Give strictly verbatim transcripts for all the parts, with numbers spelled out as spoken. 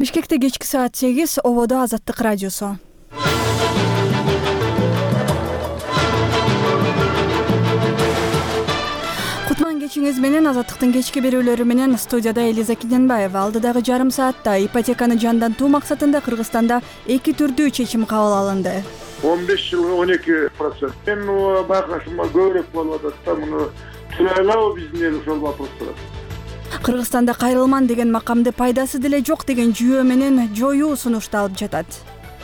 Бишкекте кечки саат сегиз, Ободо Азаттык радиосу. Кутман кечиңиз менен Азаттыктын кечки берүүлөрү менен студияда Элиза Кененбаева. Алдыдагы жарым саатта ипотеканы жандантуу максатында Кыргызстанда эки түрдүү чечим кабыл алынды. он беш жылга он эки процент. Мен байкашыма көбүрөөк болуп атат да, муну түшүнөлүбү биздин эл ошол вопростор. Кыргызстанда кайрылман деген макамды пайдасы деле жок деген жүйө менен жоюу сунушталып жатат.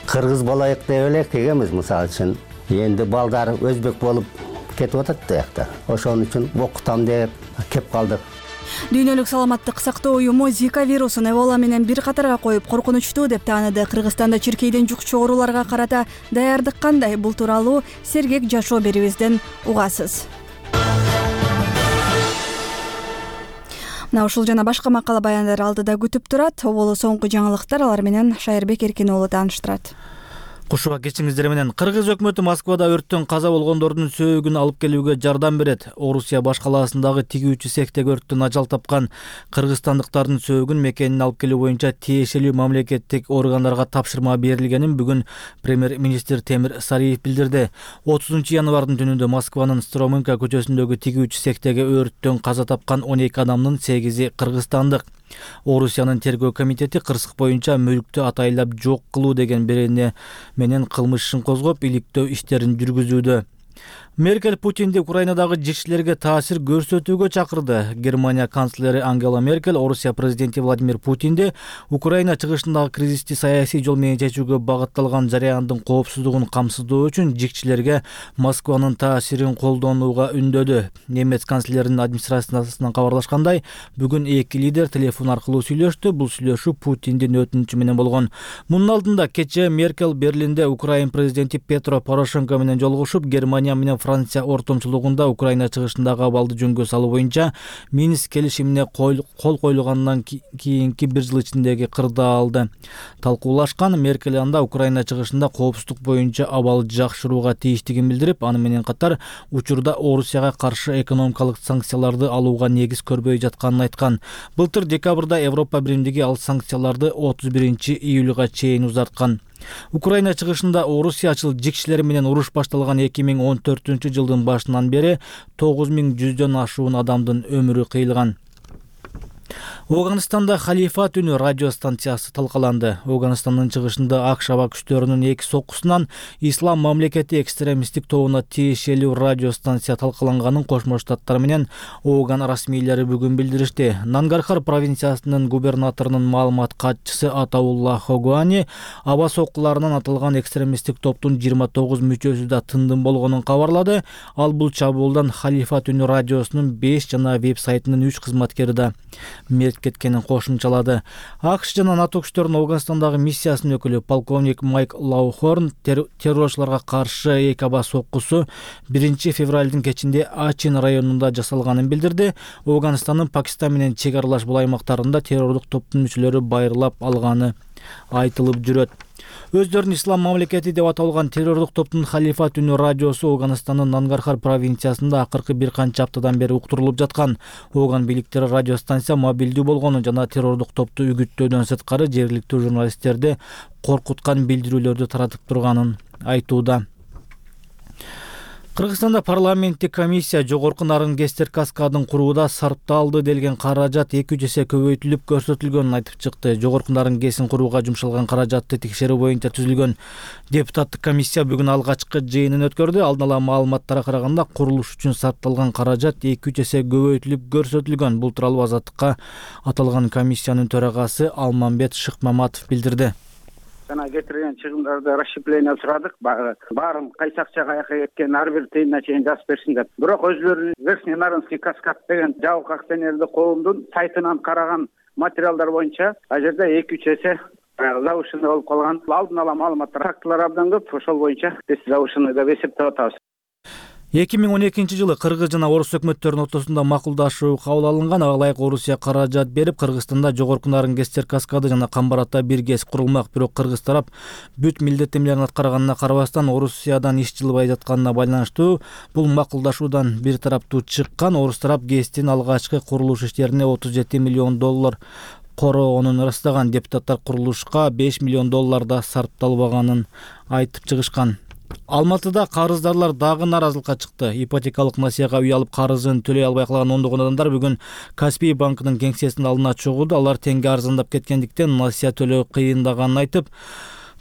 Кыргыз болайык деп элек дегенбиз, мисалы үчүн. Энди балдар өзбек болуп кетип атат да. Ошон үчүн окутам деп кеп калдык. Дүйнөлүк саламаттык сактоо уюму Зика вирусун Эбола менен бир катарга коюп коркунучтуу деп тааныды. Кыргызстанда чиркейден жукчу ооруларга карата даярдык кандай? Бул тууралуу сергек жашоо берүүбүздөн угасыз. Мына ушул жана башка макала баяндар алдыда күтүп турат. Оболу соңку жаңылыктар, алар менен Шайырбек Эркин уулу тааныштырат. Кушуга кечиңиздер менен. Кыргыз өкмөтү Москвада өрттөн каза болгондордун сөөгүн алып келүүгө жардам берет. Орусия баш калаасындагы тигүүчү цехтеги өрттөн ажал тапкан кыргызстандыктардын сөөгүн мекенин алып келүү боюнча тиешелүү мамлекеттик органдарга тапшырма берилгенин бүгүн премьер-министр Темир Сариев билдирди. отузунчу январдын түнүндө Москванын Стромынка көчөсүндөгү тигүүчү цехтеги өрттөн каза тапкан он эки адамдын сегизи кыргызстандык. Орусиянын тергөө комитети кырсык боюнча мүлктү атайлап жок кылуу деген берене менен кылмыш ишин козгоп, иликтөө иштерин жүргүзүүдө. Меркель Путинди Украинадагы жекчилерге таасир көрсөтүүгө чакырды. Германия канцлери Ангела Меркель Орусия президенти Владимир Путинди Украина чыгышындагы кризисти саясий жол менен чечүүгө багытталган жарыяндын коопсуздугун камсыздоо үчүн жекчилерге Москванын таасирин колдонууга үндөдү. Немец канцлеринин администрациясынан кабарлашкандай, бүгүн эки лидер телефон аркылуу сүйлөштү. Бул сүйлөшүү Путиндин өтүнүчү менен болгон. Мунун алдында кечээ Меркель Берлинде Украина президенти Петро Порошенко менен жолугушуп, Германия менен Франция ортомчулугунда Украина чыгышындагы абалды жөнгө салуу боюнча Минск келишимине кол коюлгандан кийинки бир жыл ичиндеги кырдаалды талкуулашкан. Меркель анда Украина чыгышында коопсуздук боюнча абал жакшырууга тийиштигин билдирип, аны менен катар учурда Орусияга каршы экономикалык санкцияларды алууга негиз көрбөй жатканын айткан. Былтыр декабрда Европа биримдиги ал санкцияларды отуз биринчи июлга чейин узарткан. Украина чыгышында орусиячыл жекчилери менен уруш башталган эки миң он төртүнчү жылдын башынан бери тогуз миң жүздөн ашуун адамдын өмүрү кыйылган. Афганистанда Халифат үнү радио станциясы талкаланды. Афганистандын чыгышында АКШ аба күчтөрүнүн эки соккусунан Ислам мамлекети экстремисттик тобуна тиешелүү радио станция талкаланганын Кошмо Штаттар менен Афган расмийлери бүгүн билдиришти. Нангархар провинциясынын губернаторунун маалымат катчысы Атаулла Хогуани аба соккуларынан аталган экстремисттик топтун жыйырма тогуз мүчөсү да тындым болгонун кабарлады. Ал бул чабуулдан Халифат үнү радиосунун беш жана веб-сайтынын үч кызматкери да мерт кеткенин кошумчалады. АКШ жана НАТО күчтөрүнүн Афганистандагы миссиясынын өкүлү полковник Майк Лаухорн террорчуларга каршы эки аба соккусу биринчи февралдын кечинде Ачин районунда жасалганын билдирди. Афганистандын Пакистан менен чек аралаш бул аймактарында террорлук топтун мүчөлөрү байырлап алганы айтылып жүрөт. Өздөрүн Ислам мамлекети деп аталган террорлук топтун Халифат үнү радиосу Афганистандын Нангархар провинциясында акыркы бир канча аптадан бери уктурулуп жаткан. Афган бийликтери радио станция мобилдүү болгонун жана террорлук топту үгүттөөдөн сырткары жергиликтүү журналисттерди коркуткан билдирүүлөрдү таратып турганын айтууда. Кыргызстанда парламенттик комиссия жогорку Нарынгестер каскадын курууда сарпталды делген каражат эки жүз эсе көбөйтүлүп көрсөтүлгөнүн айтып чыкты. Жогорку Нарынгесин курууга жумшалган каражатты текшерүү боюнча түзүлгөн депутаттык комиссия бүгүн алгачкы жыйынын өткөрдү. Алдын ала маалыматтарга караганда курулуш үчүн сарпталган каражат эки жүз эсе көбөйтүлүп көрсөтүлгөн. Бул тууралуу Азаттыкка аталган комиссиянын төрагасы Алмамбет Шыкмаматов билдирди. Жана кетирген чыгымдарды расщепление сурадык. Баарын кайсы акчага каяка кеткен ар бир тыйынына чейин жазып берсин деп. Бирок өзлөрү Верхний Нарынский каскад деген жабык акционердик коомдун сайтынан караган материалдар боюнча а жерде эки үч эсе завышенный болуп калган. Алдын ала маалыматтар, фактылар абдан көп. Ошол боюнча биз завышенный деп эсептеп атабыз. эки миң он экинчи жылы Кыргыз жана Орус өкмөттөрүнүн ортосунда макулдашуу кабыл алынган. Ага ылайык Орусия каражат берип, Кыргызстанда жогорку Нарынгестер каскады жана Камбарата бир ГЭС курулмак. Бирок Кыргыз тарап бүт милдеттенмелерин аткарганына карабастан Орусиядан иш жылбай жатканына байланыштуу бул макулдашуудан бир тараптуу чыккан. Орус тарап ГЭСтин алгачкы курулуш иштерине отуз жети миллион доллар короонун ырастаган. Депутаттар курулушка беш миллион доллар да сарпталбаганын айтып чыгышкан. Алматыда карыздарлар дагы нааразылыкка чыкты. Ипотекалык насыяга үй алып карызын төлөй албай калган ондогон адамдар бүгүн Каспий банкынын кеңсесинин алдына чогулду. Алар теңге арзандап кеткендиктен насыя төлөө кыйындаганын айтып,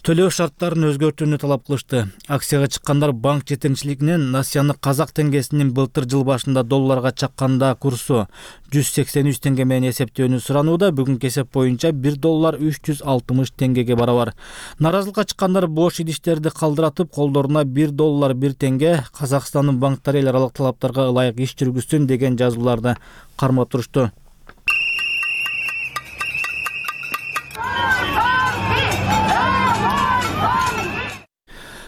төлөө шарттарын өзгөртүүнү талап кылышты. Акцияга чыккандар банк жетекчилигинен насыяны казак теңгесинин былтыр жыл башында долларга чакканда курсу жүз сексен үч теңге менен эсептөөнү суранууда. Бүгүнкү эсеп боюнча бир доллар үч жүз алтымыш теңгеге барабар. Нааразылыкка чыккандар бош идиштерди калдыратып, колдоруна бир доллар бир теңге Казакстандын банктары эл аралык талаптарга ылайык иш жүргүзсүн деген жазууларды кармап турушту.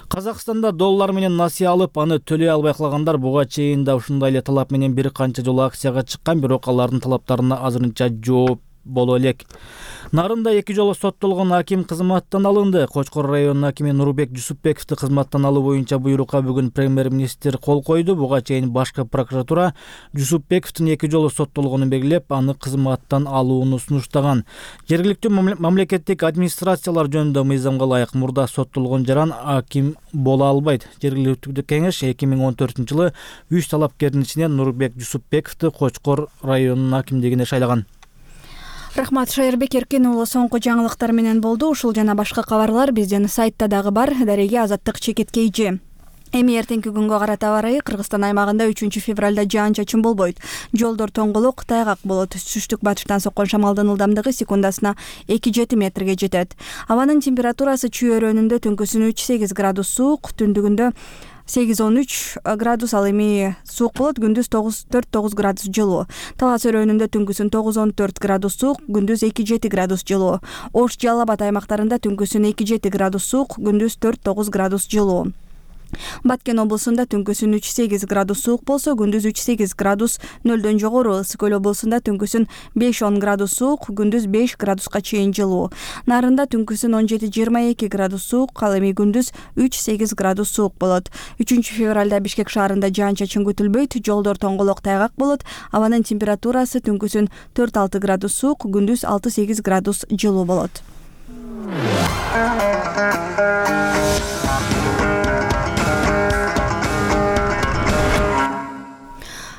Казакстанда доллар менен насыя алып, аны төлөй албай калгандар буга чейин да ушундай эле талап менен бир канча жолу акцияга чыккан, бирок алардын талаптарына азырынча жооп боло элек. Нарында эки жолу соттолгон аким кызматтан алынды. Кочкор районунун акими Нурбек Жусупбековду кызматтан алуу боюнча буйрукка бүгүн премьер-министр кол койду. Буга чейин башкы прокуратура Жусупбековдун эки жолу соттолгонун белгилеп, аны кызматтан алууну сунуштаган. Жергиликтүү мамлекеттик администрациялар жөнүндө мыйзамга ылайык мурда соттолгон жаран аким боло албайт. Жергиликтүү кеңеш эки миң он төртүнчү жылы үч талапкердин ичинен Нурбек Жусупбековду Кочкор районунун акимдигине шайлаган. Рахмат, Шайырбек Эркин уулу соңку жаңылыктар менен болду. Ушул жана башка кабарлар биздин сайтта дагы бар. Дареге Азаттык чекиткейчи. Эми эртеңки күнгө карата аба ырайы Кыргызстан аймагында үчүнчү февралда жаан-чачын болбойт. Жолдор тоңголук, тайгак болот. Түштүк батыштан соккон шамалдын ылдамдыгы секундасына эки жети метрге жетет. Абанын температурасы чүйөрөнүндө түнкүсүн үч сегиз градус суук, түндүгүндө сегиз он үч градус, ал эми суук болот, күндүз төрт тогуз градус жылуу. Талас өрөөнүндө түнкүсүн тогуз он төрт градус суук, күндүз эки жети градус жылуу. Ош, Жалал Абад аймактарында түнкүсүн эки жети градус суук, күндүз төрт тогуз градус жылуу. Баткен облусунда түнкүсүн үч сегиз градус суук болсо, күндүз үч сегиз градус нөлдөн жогору. Ысык көл облусунда түнкүсүн беш он градус суук, күндүз беш градуска чейин жылуу. Нарында түнкүсүн он жети жыйырма эки градус суук, ал эми күндүз үч сегиз градус суук болот. үчүнчү февралда Бишкек шаарында жаан-чачын күтүлбөйт, жолдор тоңголок, тайгак болот. Абанын температурасы түнкүсүн төрт алты градус суук, күндүз алты сегиз градус жылуу болот.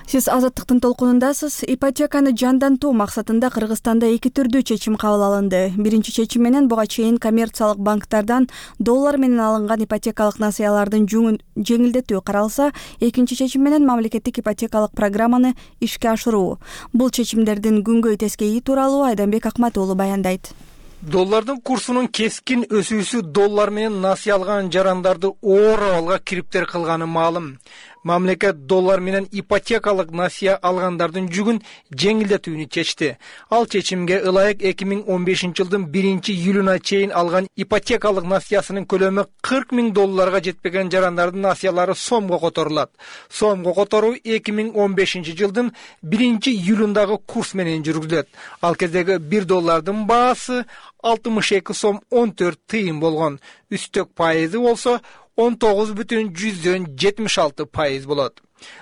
Сиз Азаттыктын толкунундасыз. Ипотеканы жандантуу максатында Кыргызстанда эки түрдүү чечим кабыл алынды. Биринчи чечим менен буга чейин коммерциялык банктардан доллар менен алынган ипотекалык насыялардын жеңилдетүү каралса, экинчи чечим менен мамлекеттик ипотекалык программаны ишке ашыруу. Бул чечимдердин күнгөй тескейи тууралуу Айданбек Акмат уулу баяндайт. Доллардын курсунун кескин өсүүсү доллар менен насыя алган жарандарды оор абалга кириптер кылганы маалым. Мамлекет доллар менен ипотекалык насыя алгандардын жүгүн жеңилдетүүнү чечти. Ал чечимге ылайык эки миң он бешинчи жылдын биринчи июлуна чейин алган ипотекалык насыясынын көлөмү кырк миң долларга жетпеген жарандардын насыялары сомго которулат. Сомго которуу эки миң он бешинчи жылдын биринчи июлундагы курс менен жүргүзүлөт. Ал кездеги бир доллардын баасы алтымыш эки сом он төрт тыйын болгон. Үстөк пайызы болсо он тогуз бүтүн жүздөн жетимиш алты пайыз болот.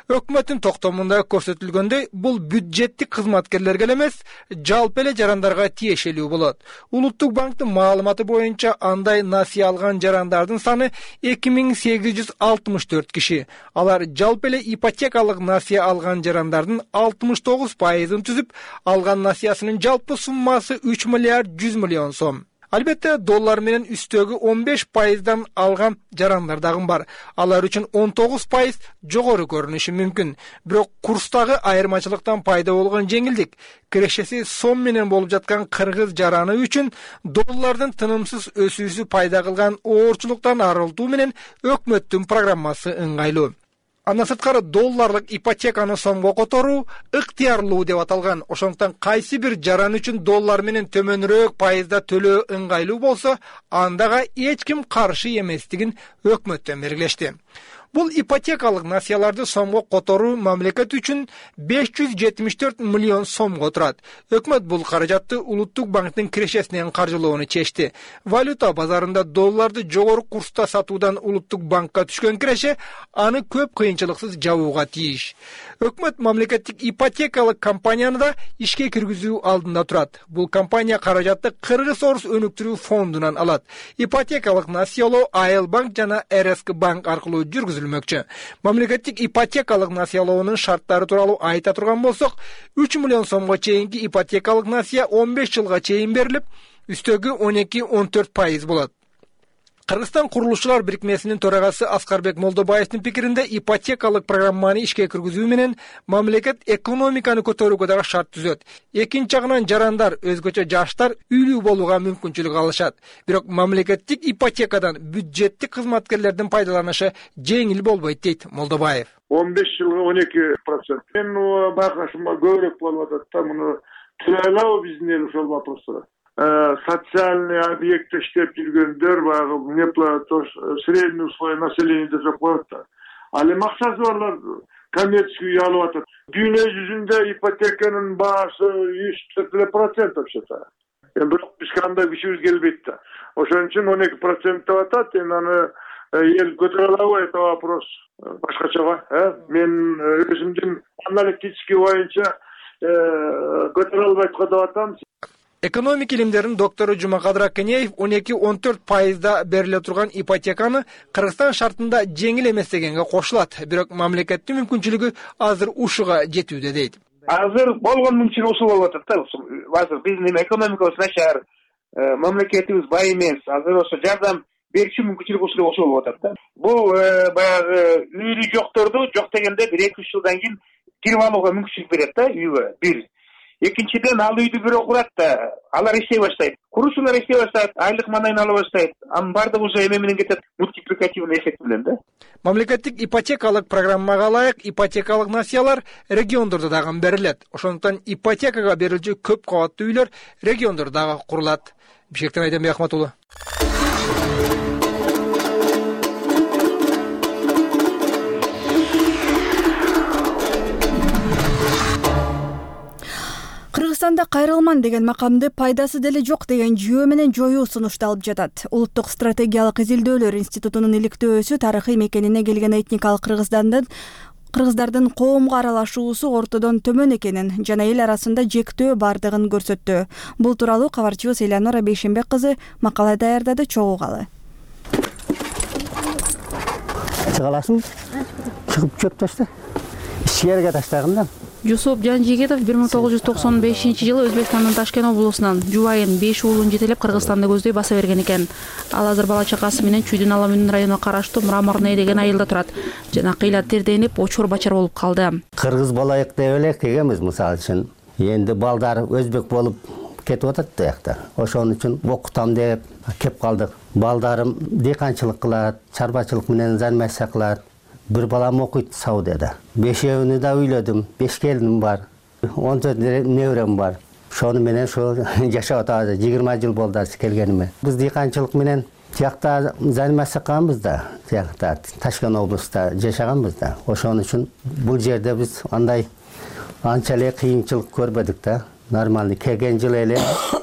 Өкмөттүн токтомунда көрсөтүлгөндөй, бул бюджеттик кызматкерлерге эмес, жалпы эле жарандарга тиешелүү болот. Улуттук банктын маалыматы боюнча андай насыя алган жарандардын саны эки миң сегиз жүз алтымыш төрт киши. Алар жалпы эле ипотекалык насыя алган жарандардын алтымыш тогуз пайызын түзүп, алган насыясынын жалпы суммасы үч миллиард жүз миллион сом. Албетте, доллар менен үстөгү он беш пайыздан алган жарандар дагы бар. Алар үчүн он тогуз пайыз жогору көрүнүшү мүмкүн. Бирок курстагы айырмачылыктан пайда болгон жеңилдик, кирешеси сом менен болуп жаткан кыргыз жараны үчүн доллардын тынымсыз өсүүсү пайда кылган оорчулуктан арылтуу менен өкмөттүн программасы ыңгайлуу. Андан сырткары долларлык ипотеканы сомго которуу ыктыярлуу деп аталган. Ошондуктан кайсы бир жаран үчүн доллар менен төмөнүрөөк пайызда төлөө ыңгайлуу болсо, андага эч ким каршы эместигин өкмөттөн белгилешти. Бул ипотекалык насыяларды сомго которуу мамлекет үчүн беш жүз жетимиш төрт миллион сомго турат. Өкмөт бул каражатты Улуттук банктын кирешесинен каржылоону чечти. Валюта базарында долларды жогору курста сатуудан Улуттук банкка түшкөн киреше аны көп кыйынчылыксыз жабууга тийиш. Өкмөт мамлекеттик ипотекалык компанияны да ишке киргизүү алдында турат. Бул компания каражатты Кыргыз Орус өнүктүрүү фондунан алат. Ипотекалык насыялоо Айыл банк жана эр эс ка банк аркылуу жүргүзүлмөкчү. Мамлекеттик ипотекалык насыялоонун шарттары тууралуу айта турган болсок, үч миллион сомго чейинки ипотекалык насыя он беш жылга чейин берилип, үстөгү он эки он төрт пайыз болот. Кыргызстан курулушчулар бирикмесинин төрагасы Аскарбек Молдобаевдин пикиринде ипотекалык программаны ишке киргизүү менен мамлекет экономиканы көтөрүүгө дагы шарт түзөт. Экинчи жагынан жарандар, өзгөчө жаштар үйлүү болууга мүмкүнчүлүк алышат. Бирок мамлекеттик ипотекадан бюджеттик кызматкерлердин пайдаланышы жеңил болбойт дейт Молдобаев. он беш жылга он эки процент. Мен байкашыма көбүрөөк болуп атат да, муну түзөлөбү биздин эл ошол вопростор. Социальный объектте иштеп жүргөндөр баягы неплато средний условие населения деп коет да. Ал эми акчасы барлар коммерческий үй алып атат. Дүйнө жүзүндө ипотеканын баасы жүз төрт процент вообще-то. Эми бирок биз кандай күчүбүз келбейт да. Ошон үчүн он эки процент деп атат. Эми аны эл көтөрө алабы, это вопрос башкача. Мен өзүмдүн аналитический боюнча көтөрө албайт деп атам. Экономика илимдеринин доктору Жумакадыр Акенеев он эки он төрт пайызда бериле турган ипотеканы Кыргызстан шартында жеңил эмес дегенге кошулат. Бирок мамлекеттин мүмкүнчүлүгү азыр ушуга жетүүдө дейт. Азыр болгон мүмкүнчүлүк ушул болуп атат да. Азыр биздин экономикабыз начар, мамлекетибиз бай эмес. Азыр ошо жардам берүүчү мүмкүнчүлүк ушул ошол болуп атат да. Бул баягы үйү жокторду жок дегенде бир эки үч жылдан кийин кирип алууга мүмкүнчүлүк берет да үйгө. Бир. Экинчиден ал үйдү бирөө курат да, алар иштей баштайт. Курушуулар иштей баштайт, айлык манайын ала баштайт. Анын баардыгы уже эме менен кетет, мультипликативный эффект менен да. Мамлекеттик ипотекалык программага ылайык ипотекалык насыялар региондордо дагы берилет. Ошондуктан ипотекага берилчү көп кабаттуу үйлөр региондордо дагы курулат. Бишкектен Айденбек Ахматулы. Кыргызстанда кайрылман деген макамды пайдасы деле жок деген жүйө менен жоюу сунушталып жатат. Улуттук стратегиялык изилдөөлөр институтунун иликтөөсү тарыхый мекенине келген этникалык кыргыздардын кыргыздардын коомго аралашуусу ортодон төмөн экенин жана эл арасында жектөө бардыгын көрсөттү. Бул тууралуу кабарчыбыз Элеонора Бейшенбек кызы макала даярдады, чогуу угалы. Чыга аласың? Чыгып чөп ташта. Ишкерге таштаганда. Жусуп Жанжигитов бир миң тогуз жүз токсон бешинчи жылы Өзбекстандын Ташкент облусунан жубайын беш уулун жетелеп Кыргызстанды көздөй баса берген экен. Ал азыр бала чакасы менен Чүйдүн Аламүн районуна караштуу Мраморное деген айылда турат жана кыйла терденип очор бачар болуп калды. Кыргыз болайык деп элек дегенбиз мисалы үчүн. Энди балдар өзбек болуп кетип атат да якта. Ошон үчүн окутам деп кеп калдык. Балдарым дыйканчылык кылат, чарбачылык менен занятия кылат. Bir balam okuydu Saudiyada. Beşeğini de üyledim. Beş gelinim var. on dört nevrem var. Şonu menen şu yaşap atadı. yigirme yıl boldu kelgenime. Biz dıykançılık menen tiyakta zanimasi kılganбыз da. Tiyakta Taşkent областта yaşaganбыз da. Oşon üçün bu yerde biz anday ançalık kıyınçılık görmedik da. Normalde kelgen yıl ele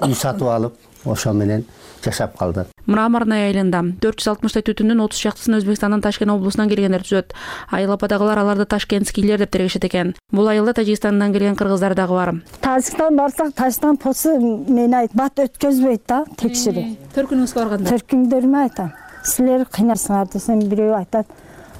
üy satıp alıp oşon menen жашап калды. Мраморное айылында төрт жүз алтымыштай түтүндүн отуз шактысын Өзбекстандын Ташкент облусунан келгендер түзөт. Айыл ападагылар аларды ташкентскийлер деп тергешет экен. Бул айылда Тажикстандан келген кыргыздар дагы бар. Тажикстан барсак, Тажикстан посы мени айт, бат өткөзбөйт да, текширип. Төркүнүңүзгө барганда. Төркүңдөрүмө айтам. Силер кыйнарсыңар десем бирөө айтат.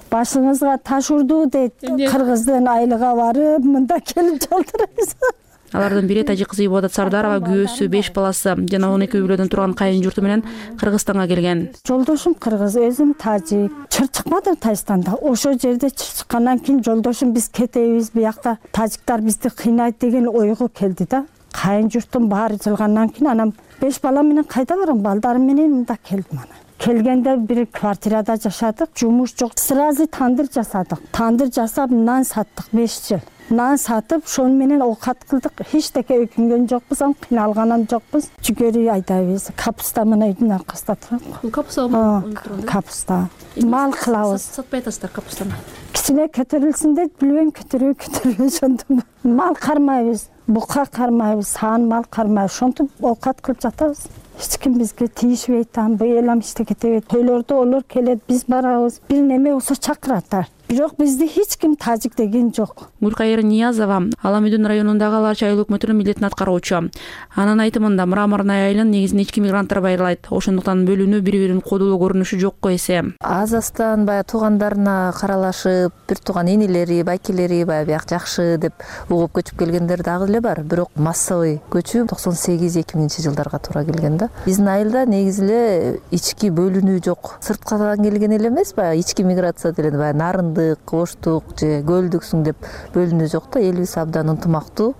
Башыңызга таш урду дейт. Кыргыздын айылга барып, мында келип жалтырайсыз. Алардын бири тажик кызы Ибадат Сардарова, күйөөсү, беш баласы жана он эки үй бүлөдөн турган кайын журту менен Кыргызстанга келген. Жолдошум кыргыз, өзүм тажик. Чыр чыкмадым Тажикстанда. Ошол жерде чыр чыккандан кийин жолдошум биз кетебиз, буякта тажиктар бизди кыйнайт деген ойго келди да. Кайын журтум баары жылгандан кийин анам беш бала менен кайда барам, балдарым менен мында келдим ана. Келгенде бир квартирада жашадык, жумуш жок. Сразу тандыр жасадык. Тандыр жасап нан саттык беш жыл. нан сатып ошону менен оокат кылдык. Эчтеке өкүнгөн жокпуз, кыйналган жокпуз. Жүгөрү айдайбыз. Капуста мына үйдүн аркасында турат. Бул капуста капуста мал кылабыз. Сатпай атасыздар капустаны? Кичине көтөрүлсүн деп билбейм, көтөрүп көтөрүп ошондо мал кармайбыз. Бука кармайбыз, саан мал кармайбыз. Ошентип оокат кылып жатабыз. Эч ким бизге тийишпейт, быйыл эм иштеке кетебейт. Тойлордо олор келет, биз барабыз. Бир неме болсо чакыраттар. Бирок бизди эч ким тажик деген жок. Гүлкайыр Ниязова Аламүдүн районундагы Аларчы айыл өкмөтүнүн милдетин аткаруучу. Анын айтымында Мраморный айылын негизинен ички мигранттар байырлайт. Ошондуктан бөлүнүү бири-бирин кодулуу көрүнүшү жокко эсе. Азастан баягы туугандарына каралашып, бир тууган инилери, байкелери баягы бияк жакшы деп угуп көчүп келгендер дагы эле бар. Бирок массовый көчүү токсон сегиз эки миңинчи жылдарга туура келген да. Биздин айылда негизи эле ички бөлүнүү жок. Сырткадан келген эле эмес, баягы ички миграция делен, баягы нарындык, Оштук же Көлдүксүң деп бөлүнүү жок да. Элибиз абдан ынтымактуу.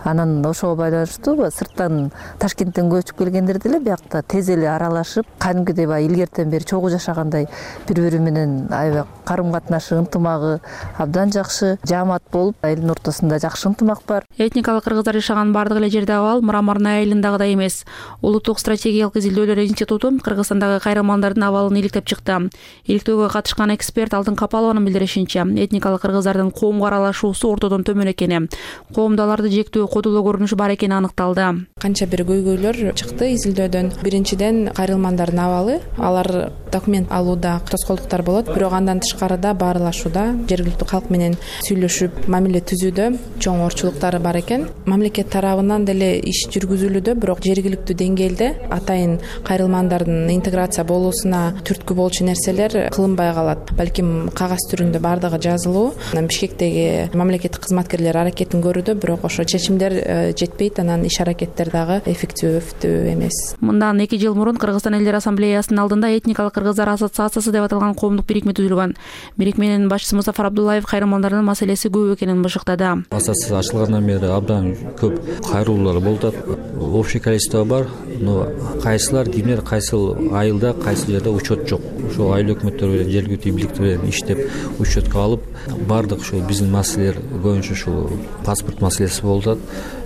Анан ошого байланыштуу сырттан Ташкенттен көчүп келгендер деле биякта тез эле аралашып, кадимкидей баягы илгертен бери чогуу жашагандай бири-бири менен аябай карым-катнашы, ынтымагы абдан жакшы, жаамат болуп, элдин ортосунда жакшы ынтымак бар. Этникалык кыргыздар жашаган бардык эле жерде абал Мраморный айылындагыдай эмес. Улуттук стратегиялык изилдөөлөр институту Кыргызстандагы кайрылмандардын абалын иликтеп чыкты. Иликтөөгө катышкан эксперт Алтын Капалованын билдиришинче, этникалык кыргыздардын коомго аралашуусу ортодон төмөн экени, коомдо аларды жектөө кодулуу көрүнүшү бар экени аныкталды. Канча бир көйгөйлөр чыкты изилдөөдөн. Биринчиден кайрылмандардын абалы, алар документ алууда тоскоолдуктар болот, бирок андан тышкарыда баарлашууда, жергиликтүү калк менен сүйлөшүп, мамиле түзүүдө чоң орчулуктары бар экен. Мамлекет тарабынан деле иш жүргүзүлүүдө, бирок жергиликтүү деңгээлде атайын кайрылмандардын интеграция болуусуна түрткү болчу нерселер кылынбай калат. Балким кагаз түрүндө бардыгы жазылуу. Бишкектеги мамлекеттик кызматкерлер аракетин көрүүдө, бирок ошо чечимдер жетпейт, анан иш аракеттер дагы эффективдүү эмес. Мындан эки жыл мурун Кыргызстан элдер ассамблеясынын алдында этникалык кыргыздар ассоциациясы деп аталган коомдук бирикме түзүлгөн. Бирикменин башчысы Мусафар Абдуллаев кайрылмандардын маселеси көп экенин бышыктады. Ассоциация ачылгандан бери абдан көп кайрылуулар болуп атат. Общий количество бар, но кайсылар кимдер кайсыл айылда, кайсыл жерде учет жок. Ошол айыл өкмөттөр менен жергиликтүү бийликтер менен иштеп учетко алып, бардык ушул биздин маселелер боюнча ушул паспорт маселеси болуп атат.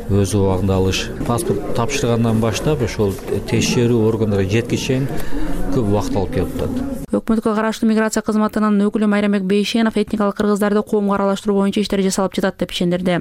Өз убагында алыш, паспорт тапшыргандан баштап ошол текшерүү органдарына жеткичен көп убакыт алып келип атат. Өкмөткө караштуу миграция кызматынын өкүлү Майрамбек Бейшенов этникалык кыргыздарды коомго аралаштыруу боюнча иштер жасалып жатат деп ишендирди.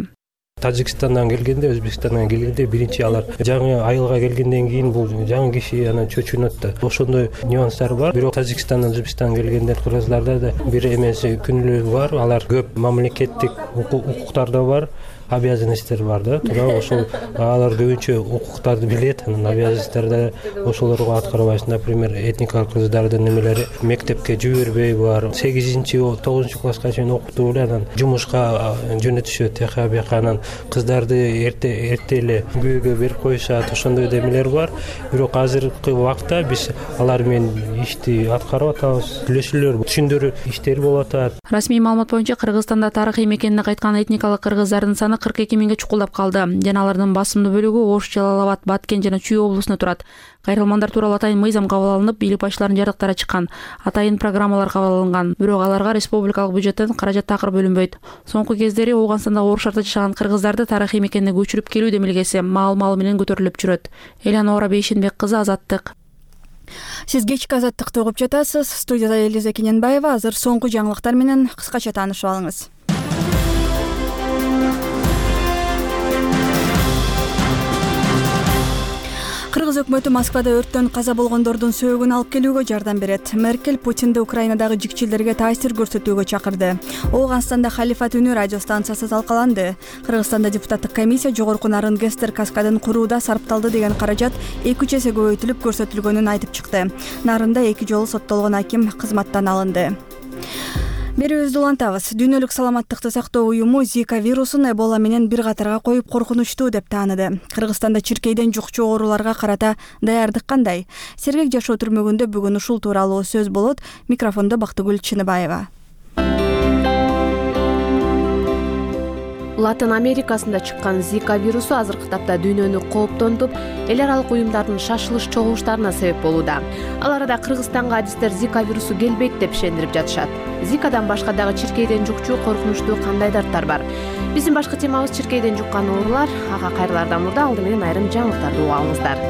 Тажикстандан келгенде, Өзбекстандан келгенде биринчи алар жаңы айылга келгенден кийин бул жаңы киши анан чөчүнөт да. Ошондой нюанстар бар. Бирок Тажикстандан, Өзбекстандан келгендер кыргызларда да бир эмеси күнүлүгү бар. Алар көп мамлекеттик укуктарда бар. Обязанностьтер бар да. Тура ошол алар көбүнчө укуктарды билет, анан обязанностьтарды ошолорго аткарбайсың. Например, этникалык кыргыздардын немелери мектепке жибербей бар. сегизинчи тогузунчу класска чейин окутуп эле анан жумушка жөнөтүшөт. Тияка бияка анан кыздарды эрте эрте эле күйөөгө берип коюшат. Ошондой демелер бар. Бирок азыркы убакта биз алар менен ишти аткарып атабыз. Сүйлөшүүлөр, түшүндүрүү иштери болуп атат. Расмий маалымат боюнча Кыргызстанда тарыхый мекенине кайткан этникалык кыргыздардын саны кырк эки миңге чукулдап калды. Жана алардын басымдуу бөлүгү Ош, Жалал Абад, Баткен жана Чүй облусунда турат. Кайрылмандар тууралуу атайын мыйзам кабыл алынып, бийлик башчыларынын жардыктары чыккан. Атайын программалар кабыл алынган. Бирок аларга республикалык бюджеттен каражат такыр бөлүнбөйт. Соңку кездери Ооганстанда оор шартта жашаган кыргыздарды тарыхый мекенине көчүрүп келүү демилгеси маал-маал менен көтөрүлүп жүрөт. Элянора Бейшенбек кызы, Азаттык. Сиз кечки Азаттыкты угуп жатасыз. Студияда Элиза Кененбаева. Азыр соңку жаңылыктар менен кыскача таанышып алыңыз. Кыргыз өкмөтү Москвада өрттөн каза болгондордун сөөгүн алып келүүгө жардам берет. Меркель Путинди Украинадагы жикчилерге таасир көрсөтүүгө чакырды. Ооганстанда Халифат үнү радио станциясы талкаланды. Кыргызстанда депутаттык комиссия жогорку нарын Гестер каскадын курууда сарпталды деген каражат эки үч эсе көбөйтүлүп көрсөтүлгөнүн айтып чыкты. Нарында эки жолу соттолгон аким кызматтан алынды. Берүүбүздү улантабыз. Дүйнөлүк саламаттыкты сактоо уюму Зика вирусун Эбола менен бир катарга коюп коркунучтуу деп тааныды. Кыргызстанда чиркейден жукчу ооруларга карата даярдык кандай? Сергек жашоо түрмөгүндө бүгүн ушул тууралуу сөз болот. Микрофондо Бактыгүл Чыныбаева. Латын Америкасында чыккан Зика вирусу азыркы тапта дүйнөнү кооптонтуп, эл аралык уюмдардын шашылыш чогулуштарына себеп болууда. Ал арада Кыргызстанга адистер Зика вирусу келбейт деп ишендирип жатышат. Зикадан башка дагы чиркейден жукчу коркунучтуу кандай дарттар бар? Биздин башкы темабыз чиркейден жуккан оорулар. Ага кайрылардан мурда алды менен айрым жаңылыктарды угуп алыңыздар.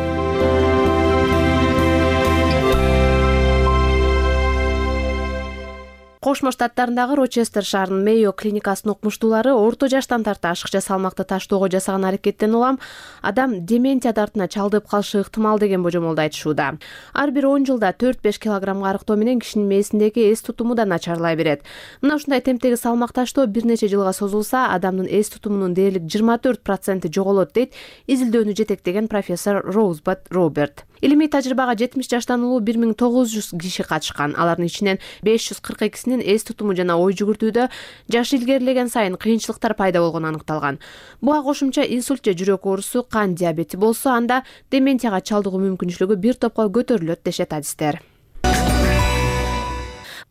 Кошмо Штаттарындагы Рочестер шаарынын Мейо клиникасынын окумуштуулары орто жаштан тарта ашыкча салмакты таштоого жасаган аракеттен улам адам дементия дартына чалдыгып калышы ыктымал деген божомолду айтышууда. Ар бир он жылда төрт беш килограммга арыктоо менен кишинин мээсиндеги эс тутуму да начарлай берет. Мына ушундай темптеги салмак таштоо бир нече жылга созулса, адамдын эс тутумунун дээрлик жыйырма төрт проценти жоголот дейт изилдөөнү жетектеген профессор Роузбат Роберт. Илимий тажрыйбага жетимиш жаштан улуу бир миң тогуз жүз киши катышкан. Алардын ичинен беш жүз кырк экисинин эс тутуму жана ой жүгүртүүдө жаш илгерилеген сайын кыйынчылыктар пайда болгону аныкталган. Буга кошумча инсульт же жүрөк оорусу, кан диабети болсо, анда дементияга чалдыгуу мүмкүнчүлүгү бир топко көтөрүлөт дешет адистер.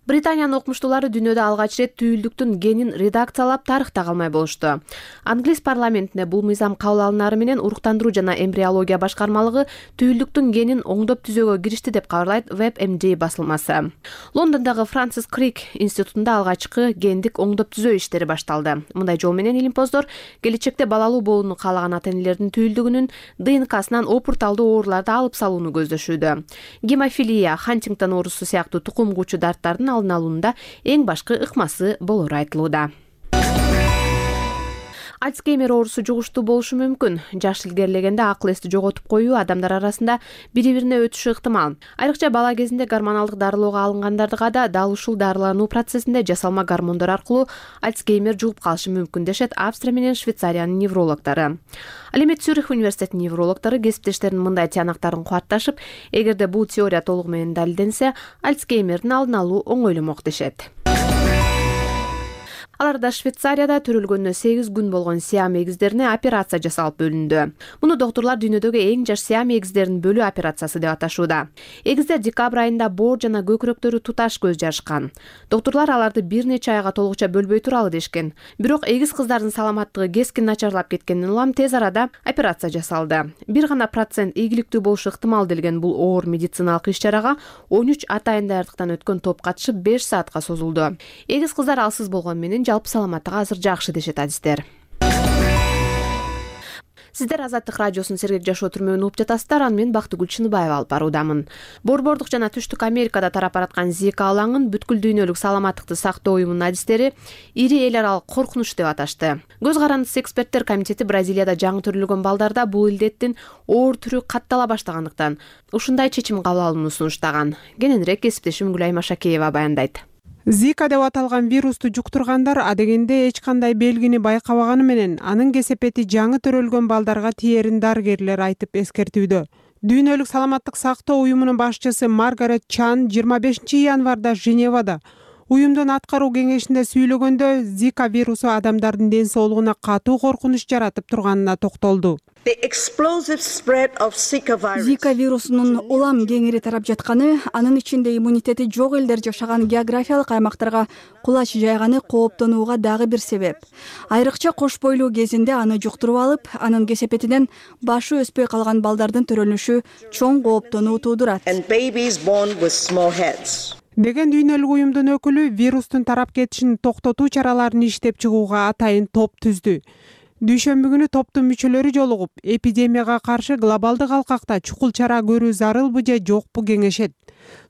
Британиянын окумуштуулары дүйнөдө алгач ирет түйүлдүктүн генин редакциялап тарыхта калмай болушту. Англис парламентине бул мыйзам кабыл алынары менен уруктандыруу жана эмбриология башкармалыгы түйүлдүктүн генин оңдоп түзөөгө киришти деп кабарлайт WebMD басылмасы. Лондондогу Франсис Крик институтунда алгачкы гендик оңдоп түзөө иштери башталды. Мындай жол менен илимпоздор келечекте балалуу болууну каалаган ата-энелердин түйүлдүгүнүн ДНКсынан опурталдуу ооруларды алып салууну көздөшүүдө. Гемофилия, Хантингтон оорусу сыяктуу тукум куучу дарттардын алдын алуунда эң башкы ыкмасы болору айтылууда. Альцгеймер оорусу жугуштуу болушу мүмкүн. Жаш илгерилегенде акыл эсти жоготуп коюу адамдар арасында бири-бирине өтүшү ыктымал. Айрыкча бала кезинде гормоналдык дарылоого алынгандарга да дал ушул дарылануу процессинде жасалма гормондор аркылуу Альцгеймер жугуп калышы мүмкүн дешет Австрия менен Швейцариянын неврологдору. Ал эми Цюрих университетинин неврологдору кесиптештеринин мындай тыянактарын кубатташып, эгерде бул теория толугу менен далилденсе, Альцгеймердин алдын алуу оңойломок дешет. Аларда Швейцарияда төрөлгөнүнө сегиз күн болгон сиам эгиздерине операция жасалып бөлүндү. Муну доктурлар дүйнөдөгү эң жаш сиам эгиздерин бөлүү операциясы деп аташууда. Эгиздер декабрь айында боор жана көкүрөктөрү туташ көз жарышкан. Доктурлар аларды бир нече айга толугуча бөлбөй туралы дешкен. Бирок эгиз кыздардын саламаттыгы кескин начарлап кеткенден улам тез арада операция жасалды. Бир гана процент ийгиликтүү болушу ыктымал делген бул оор медициналык иш-чарага он үч атайын даярдыктан өткөн топ катышып беш саатка созулду. Эгиз кыздар алсыз болгону менен жалпы саламаттыгы азыр жакшы дешет адистер. Сиздер Азаттык радиосунун Сергек жашоо түрмөгүн угуп жатасыздар. Аны мен Бактыгүл Чыныбаева алып баруудамын. Борбордук жана Түштүк Америкада тарап бараткан Зика алаңын бүткүл дүйнөлүк саламаттыкты сактоо уюмунун адистери ири эл аралык коркунуч деп аташты. Көз карандысы эксперттер комитети Бразилияда жаңы төрөлгөн балдарда бул илдеттин оор түрү каттала баштагандыктан ушундай чечим кабыл алууну сунуштаган. Кененирээк кесиптешим Гүлай Машакеева баяндайт. Зика деп аталган вирусту жуктургандар адегенде эч кандай белгини байкабаганы менен анын кесепети жаңы төрөлгөн балдарга тиерин дарыгерлер айтып эскертүүдө. Дүйнөлүк саламаттык сактоо уюмунун башчысы Маргарет Чан жыйырма бешинчи январда Женевада уюмдун аткаруу кеңешинде сүйлөгөндө Зика вирусу адамдардын ден соолугуна катуу коркунуч жаратып турганына токтолду. Зика вирусунун улам кеңири тарап жатканы, анын ичинде иммунитети жок элдер жашаган географиялык аймактарга кулач жайганы кооптонууга дагы бир себеп. Айрыкча кош бойлуу кезинде аны жуктуруп алып, анын кесепетинен башы өспөй калган балдардын төрөлүшү чоң кооптонуу туудурат. Деген дүйнөлүк уюмдун өкүлү вирустун тарап кетишин токтотуу чараларын иштеп чыгууга атайын топ түздү. Дүйшөмбү күнү топтун мүчөлөрү жолугуп, эпидемияга каршы глобалдык алкакта чукул чара көрүү зарылбы же жокпу кеңешет.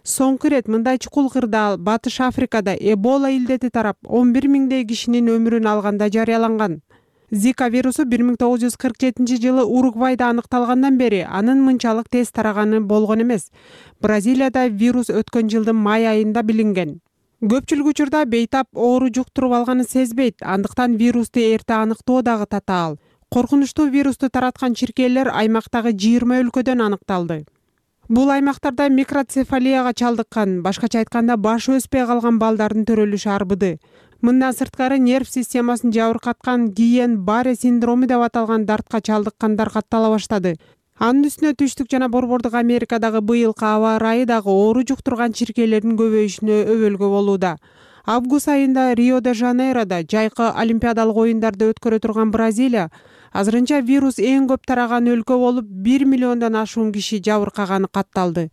Соңку ирет мындай чукул кырдаал Батыш Африкада Эбола илдети тарап он бир миңдей кишинин өмүрүн алганда жарыяланган. Зика вирусу бир миң тогуз жүз кырк жетинчи жылы Уругвайда аныкталгандан бери анын мынчалык тез тараганы болгон эмес. Бразилияда вирус өткөн жылдын май айында билинген. Көпчүлүк учурда бейтап оору жуктуруп алганын сезбейт, андыктан вирусту эрте аныктоо дагы татаал. Коркунучтуу вирусту тараткан чиркейлер аймактагы жыйырма өлкөдөн аныкталды. Бул аймактарда микроцефалияга чалдыккан, башкача айтканда башы өспөй калган балдардын төрөлүшү арбыды. Мындан сырткары нерв системасын жабыркаткан Гийен-Барре синдрому деп аталган дартка чалдыккандар каттала баштады. Анын үстүнө Түштүк жана Борбордук Америкадагы быйылкы аба ырайы дагы оору жуктурган чиркейлердин көбөйүшүнө өбөлгө болууда. Август айында Рио де Жанейрода жайкы олимпиадалык оюндарды өткөрө турган Бразилия азырынча вирус эң көп тараган өлкө болуп, бир миллиондон ашуун киши жабыркаганы катталды.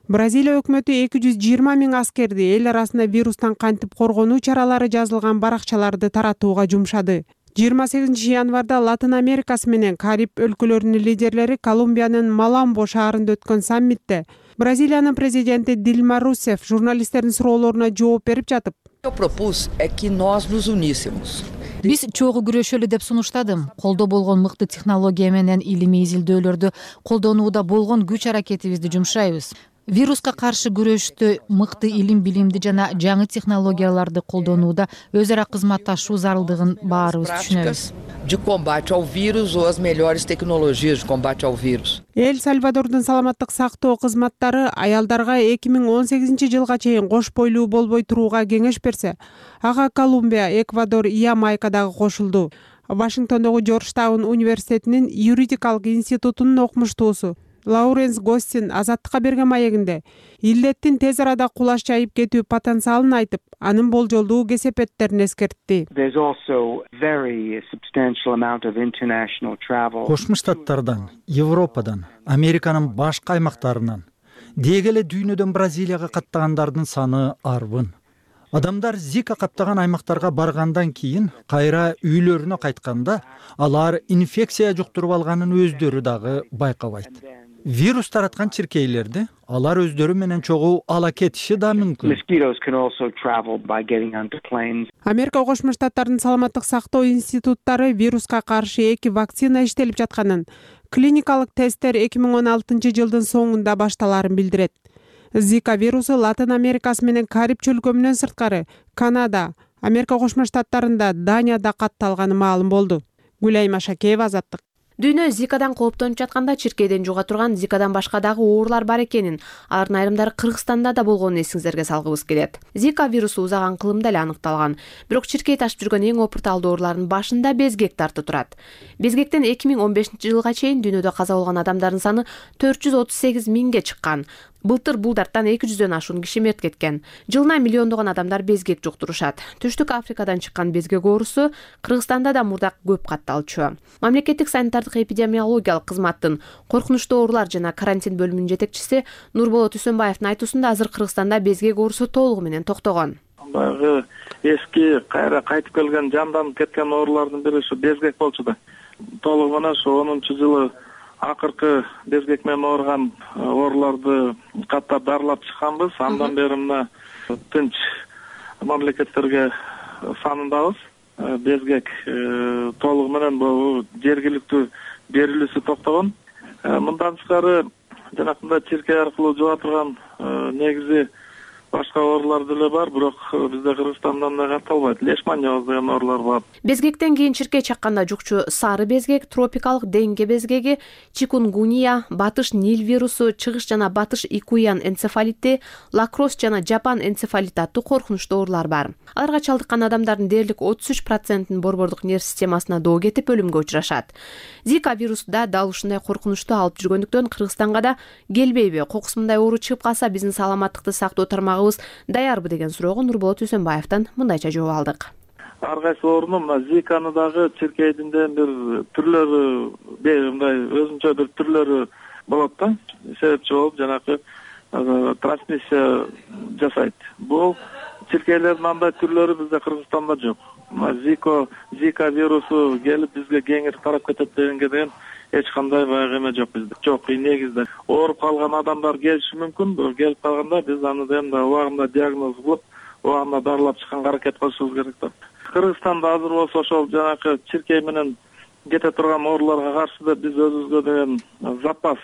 Бразилия өкмөтү эки жүз жыйырма миң аскерди эл арасында вирустан кантип коргонуу чаралары жазылган баракчаларды таратууга жумшады. жыйырма сегизинчи январда Латын Америкасы менен Кариб өлкөлөрүнүн лидерлери Колумбиянын Маламбо шаарында өткөн саммитте Бразилиянын президенти Дилма Русеф журналисттердин суроолоруна жооп берип жатып, биз чогуу күрөшөлү деп сунуштадым. Колдо болгон мыкты технология менен илимий изилдөөлөрдү колдонууда болгон күч аракетибизди жумшайбыз. Вируска каршы күрөштө мыкты илим билимди жана жаңы технологияларды колдонууда өз ара кызматташуу зарылдыгын баарыбыз түшүнөбүз. Эл Сальвадордун саламаттык сактоо кызматтары аялдарга эки миң он сегизинчи жылга чейин кош бойлуу болбой турууга кеңеш берсе, ага Колумбия, Эквадор, Ямайка дагы кошулду. Вашингтондогу Жоржтаун университетинин юридикалык институтунун окумуштуусу Лауренс Гостин Азаттыкка берген маегинде илдеттин тез арада кулаш жайып кетүү потенциалын айтып, анын болжолдуу кесепеттерин эскертти. Кошмо Штаттардан, Европадан, Американын башка аймактарынан, деги эле дүйнөдөн Бразилияга каттагандардын саны арбын. Адамдар Зика каптаган аймактарга баргандан кийин кайра үйлөрүнө кайтканда, алар инфекция жуктуруп алганын өздөрү дагы байкабайт. Вирус тараткан чиркейлерди алар өздөрү менен чогуу ала кетиши да мүмкүн. Америка Кошмо Штаттарынын саламаттык сактоо институттары вируска каршы эки вакцина иштелип жатканын, клиникалык тесттер эки миң он алтынчы жылдын соңунда башталарын билдирет. Зика вирусу Латын Америкасы менен Кариб чөлкөмүнөн сырткары Канада, Америка Кошмо Штаттарында, Данияда катталганы маалым болду. Гүлайма Шакеева, Азаттык. Дүйнө Зикадан кооптонуп жатканда чиркейден жуга турган Зикадан башка дагы оорулар бар экенин, алардын айрымдары Кыргызстанда да болгонун эсиңиздерге салгыбыз келет. Зика вирусу узаган кылымда эле аныкталган, бирок чиркей ташып жүргөн эң опурталдуу оорулардын башында безгек тартып турат. Безгектен эки миң он бешинчи жылга чейин дүйнөдө каза болгон адамдардын саны төрт жүз отуз сегиз миңге чыккан. Былтыр бул дарттан эки жүздөн ашуун киши мерт кеткен. Жылына миллиондогон адамдар безгек жуктурушат. Түштүк Африкадан чыккан безгек оорусу Кыргызстанда да мурда көп катталчу. Мамлекеттик санитардык эпидемиологиялык кызматтын коркунучтуу оорулар жана карантин бөлүмүнүн жетекчиси Нурболот Үсөнбаевдин айтуусунда азыр Кыргызстанда безгек оорусу толугу менен токтогон. Баягы эски кайра кайтып келген жанданып кеткен оорулардын бири ушу безгек болчу да. Толугу менен ушу онунчу жылы акыркы безгек менен ооруган ооруларды каттап дарылап чыкканбыз. Андан бери мына тынч мамлекеттерге санындабыз. Безгек толугу менен бул жергиликтүү берилүүсү токтогон. Мындан тышкары жанакындай чиркей аркылуу жуга турган негизи башка оорулар деле бар, бирок бизде Кыргызстанда андай катталбайт. Лешманьоз деген оорулар бар. Безгектен кийин чиркей чакканда жукчу сары безгек, тропикалык денге безгеги, чикунгуния, батыш Нил вирусу, чыгыш жана батыш икуян энцефалити, лакрос жана жапан энцефалити аттуу коркунучтуу оорулар бар. Аларга чалдыккан адамдардын дээрлик отуз үч процентин борбордук нерв системасына доо кетип өлүмгө учурашат. Зика вирусу да дал ушундай коркунучтуу алып жүргөндүктөн Кыргызстанга да келбейби? Кокусундай оору чыгып калса биздин саламаттыкты сактоо тармагы даярбы деген суроого Нурболот Үсөнбаевден мындайча жооп алдык. Ар кайсы оорунун мына Зиканы дагы чиркейдин бир түрлөрү, мындай өзүнчө бир түрлөрү болот да. Себепчи болуп жанакы трансмиссия жасайт. Бул чиркейлердин андай түрлөрү бизде Кыргызстанда жок. Зика, Зика вирусу келип бизге кеңири тарап кетет дегенге деген эч кандай баягы эме жок бизде. Жок, негизде ооруп калган адамдар келиши мүмкүн. Бирок келип калганда биз аны да убагында диагноз кылып, убагында дарылап чыкканга аракет кылышыбыз керек да. Кыргызстанда азыр болсо ошол жанакы чиркей менен кете турган ооруларга каршы да биз өзүбүзгө деген запас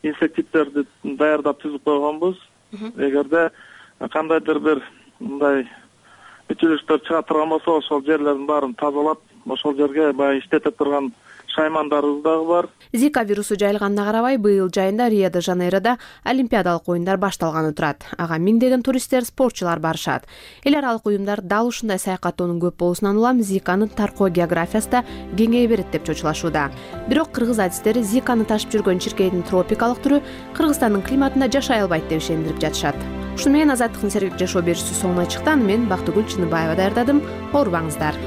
инсектицидтерди даярдап түзүп койгонбуз. Эгерде кандайдыр бир мындай үчүлүштөр чыга турган болсо, ошол жерлердин баарын тазалап, ошол жерге баягы иштете турган шаймандарыбыз дагы бар. Зика вирусу жайылганына карабай, быйыл жайында Рио де Жанейрода олимпиадалык оюндар башталганы турат. Ага миңдеген туристтер, спортчулар барышат. Эл аралык уюмдар дал ушундай саякаттоонун көп болуусунан улам Зиканын таркоо географиясы да кеңейе берет деп чочулашууда. Бирок кыргыз адистери Зиканы ташып жүргөн чиркейдин тропикалык түрү Кыргызстандын климатында жашай албайт деп ишендирип жатышат. Ушуну менен Азаттыктын сергек жашоо берүүсү соңуна чыкты. Аны мен Бактыгүл Чыныбаева даярдадым. Оорубаңыздар.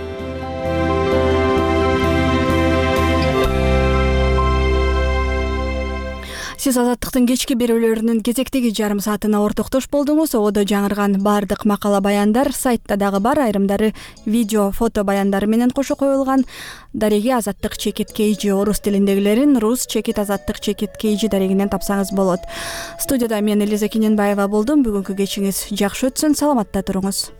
Сиз Азаттыктын кечки берүүлөрүнүн кезектеги жарым саатына ортоктош болдуңуз. Ободо жаңырган баардык макала баяндар сайтта дагы бар, айрымдары видео, фото баяндары менен кошо коюлган. Дареги Азаттык чекит kg орус тилиндегилерин рус чекит Азаттык чекит kg дарегинен тапсаңыз болот. Студияда мен Элиза Кененбаева болдум. Бүгүнкү кечиңиз жакшы өтсүн, саламатта туруңуз.